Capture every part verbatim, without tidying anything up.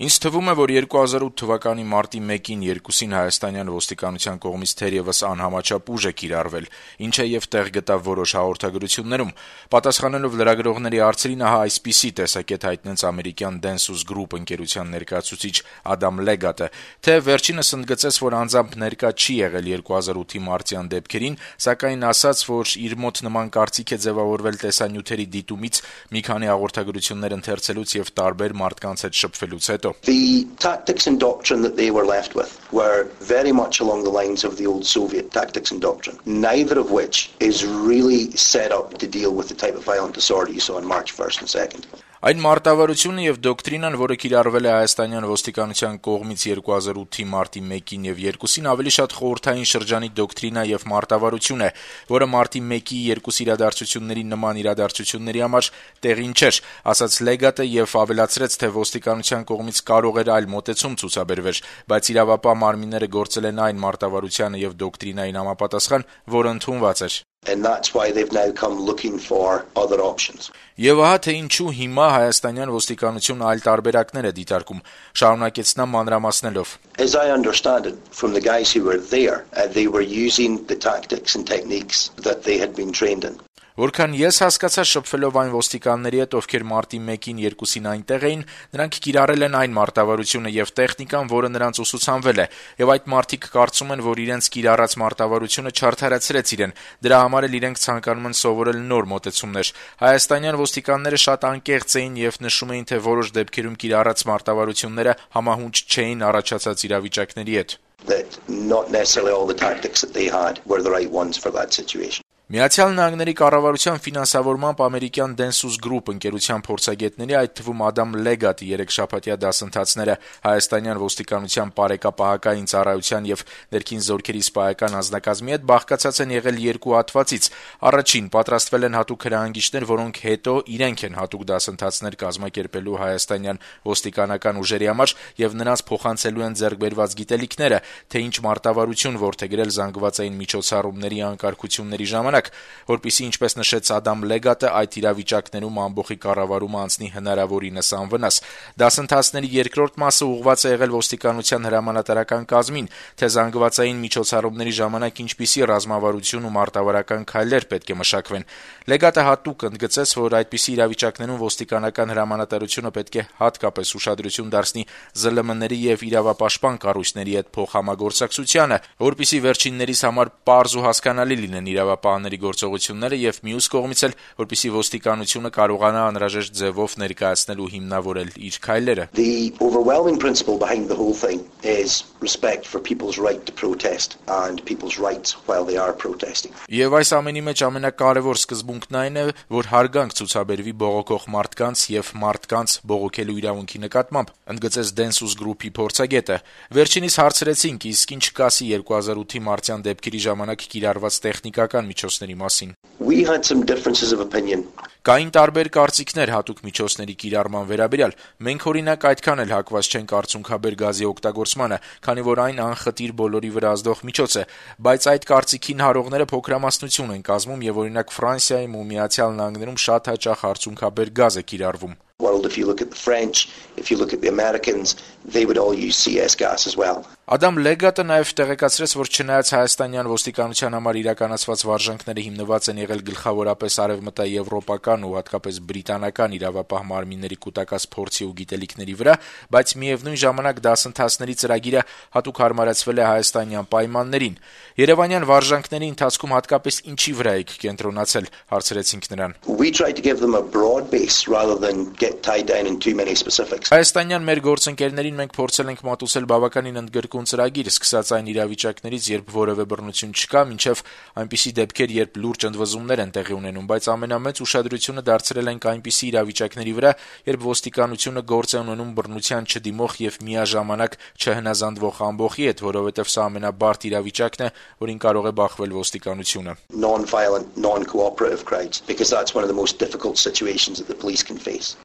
Ինձ թվում է, որ երկու հազար ութ թվականի մարտի մեկին երկուսին հայաստանյան ոստիկանության կողմից թերևս անհամաչափ ուժ է կիրառվել, ինչը եւ տեղ գտավ որոշ հաղորդագրություններում։ Պատասխանելով լրագրողների հարցերին, ահա այսպիսի տեսակետ հայտնեց ամերիկյան Densus Group ընկերության ներկայացուցիչ Ադամ Լեգատը, թե վերջինս ընդգծեց, որ անձամբ ներկա չի եղել երկու հազար ութի մարտյան դեպքերին, սակայն ասաց, որ իր մոտ նման կարծիք է ձևավորվել տեսանյութերի դիտումից, մի քանի հաղորդագրություններ ընթերցելուց եւ տարբեր մարդկանց հետ շփվելուց հետո. The tactics and doctrine that they were left with were very much along the lines of the old Soviet tactics and doctrine, neither of which is really set up to deal with the type of violent disorder you saw on March first and second. Այն մարտավարությունը եւ դոկտրինան, որը կիրառվել է հայաստանյան ոստիկանության կողմից երկու հազար ութի մարտի մեկին եւ երկուսին, ավելի շատ խորհրդային շրջանի դոկտրինա եւ մարտավարություն է, որը մարտի մեկի երկուս իրադարձությունների նման իրադարձությունների համար տեղին չէր, ասաց Լեգատը եւ ավելացրեց, թե ոստիկանության կողմից կարող էր այլ մոտեցում ցուցաբերվել, բայց իրավապահ մարմինները գործել են այն մարտավարությանը եւ դոկտրինային համապատասխան, որը ընդունված էր. And that's why they've now come looking for other options. Եվ ահա թե ինչու հիմա հայաստանյան ոստիկանությունը այլ տարբերակներ է դիտարկում, շարունակեց նա մանրամասնելով. As I understand it, from the guys who were there, uh, they were using the tactics and techniques that they had been trained in. Որքան ես հասկացա շփվելով այն ոստիկանների հետ, ովքեր մարտի մեկին երկուսին այնտեղ էին, նրանք կիրառել են այն մարտավարությունը եւ տեխնիկան, որը նրանց ուսուցանվել է, եւ այդ մարդիկ կարծում են, որ իրենց կիրառած մարտավարությունը չարդարացրեց իրեն, դրա համար էլ իրենք ցանկանում են սովորել նոր մոտեցումներ։ Հայաստանյան ոստիկանները շատ անկեղծ էին եւ նշում էին, թե որոշ դեպքերում կիրառած մարտավարությունները համահունչ չէին առաջացած իրավիճակների հետ. That not necessarily all the tactics that they had were the right ones for that situation. Միացյալ Նահանգների կառավարության ֆինանսավորմամբ ամերիկյան Densus Group ընկերության փորձագետների, այդ թվում Ադամ Լեգատի երեքշաբաթյա դասընթացները հայաստանյան ոստիկանության բարեկապահական ծառայության եւ ներքին զորքերի սպայական անձնակազմի հետ բաղկացած են եղել երկու հատվածից։ Առաջին պատրաստվել են հատուկ հրահանգիչներ, որոնք հետո իրենք են հատուկ դասընթացներ կազմակերպելու հայաստանյան ոստիկանական ուժերի համար եւ նրանց փոխանցելու են ձեռքբերված գիտելիքները, թե ինչ մարտավարություն որդեգրել զանգվածային միջոցառումների անկարգությունների ժամանակ, որպիսի, ինչպես նշեց Ադամ Լեգատը, այդ իրավիճակներում ամբողջի կառավարումը անցնի հնարավորինս անվնաս։ Դասընթացների երկրորդ մասը ուղղված է եղել ոստիկանության հրամանատարական կազմին, թե զանգվածային միջոցառումների ժամանակ ինչպիսի ռազմավարություն ու մարտավարական քայլեր պետք է մշակվեն։ Լեգատը հատուկ ընդգծեց, որ այդպիսի իրավիճակներում ոստիկանական հրամանատարությունը պետք է հատկապես ուշադրություն դարձնի զլ էմ-ների եւ իրավապաշտպան կառույցների հետ փոխհամագործակցությանը, որպիսի վերջիններիս համար պարզ ու հասկանալի լինեն իրավապահ գործողությունները եւ մյուս կողմից էլ, որպեսզի ոստիկանությունը կարողանա անհրաժեշտ ձևով ներկայացնել ու հիմնավորել իր քայլերը. The overwhelming principle behind the whole thing is respect for people's right to protest and people's rights while they are protesting. Եվ այս ամենի մեջ ամենակարևոր սկզբունքն այն է, որ հարգանք ցուցաբերվի բողոքող մարդկանց եւ մարդկանց բողոքելու իրավունքի նկատմամբ, ընդգծեց Densus Group-ի փորձագետը։ Վերջինիս հարցրեցինք, իսկ ինչ կասի երկու հազար ութի մարտյան դեպքերի ժամանակ կիրառված տեխնիկական միջոցների մասին. We had some differences of opinion. Կային տարբեր կարծիքներ հատուկ միջոցների կիրառման վերաբերյալ։ Մենք օրինակ այդքան էլ հակված չենք արցունքաբեր գազի օգտագործմանը, քանի որ այն անխտիր բոլորի վրա ազդող միջոց է, բայց այդ կարծիքին հարողները փոքրամասնություն են կազմում եւ օրինակ Ֆրանսիայում ու Միացյալ Նահանգներում շատ հաճախ արցունքաբեր գազ է կիրառվում։ World, if you look at the French, if you look at the Americans, they would all use C S gas as well. Ադամ Լեգատը նաև տեղեկացրեց, որ չնայած հայաստանյան ոստիկանության համար իրականացված վարժանքները հիմնված են եղել գլխավորապես արևմտաեվրոպական ու հատկապես բրիտանական իրավապահ մարմինների կուտակած փորձի ու գիտելիքների վրա, բայց միևնույն ժամանակ դասընթացների ծրագիրը հատուկ հարմարեցվել է հայաստանյան պայմաններին։ Երևանյան վարժանքների ընթացքում հատկապես ինչի վրա եք կենտրոնացել, հարցրեցինք նրան։ We tried to give them a broad base rather than get tied down in too many specifics. Հայաստանյան մեր գործընկերներին մենք փորձել ենք մատուցել բավականին ընդգրկուն ծրագիր, սկսած այն իրավիճակներից, երբ որևէ բռնություն չկա, մինչև այնպիսի դեպքեր, երբ լուրջ ընդվզումներ են տեղի ունենում, բայց ամենամեծ ուշադրությունը դարձրել ենք այնպիսի իրավիճակների վրա, երբ ոստիկանությունը գործ է ունենում բռնության չդիմող եւ միաժամանակ չհնազանդվող ամբողջի հետ, որովհետեւ սա ամենաբարդ իրավիճակն է, որին կարող է բախվել ոստիկանությունը. Non-violent, non-cooperative crowds, because that's one of the most difficult situations that the police can face.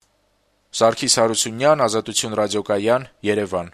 Սարգիս Հարությունյան, Ազատություն ռադիոկայան, Երևան.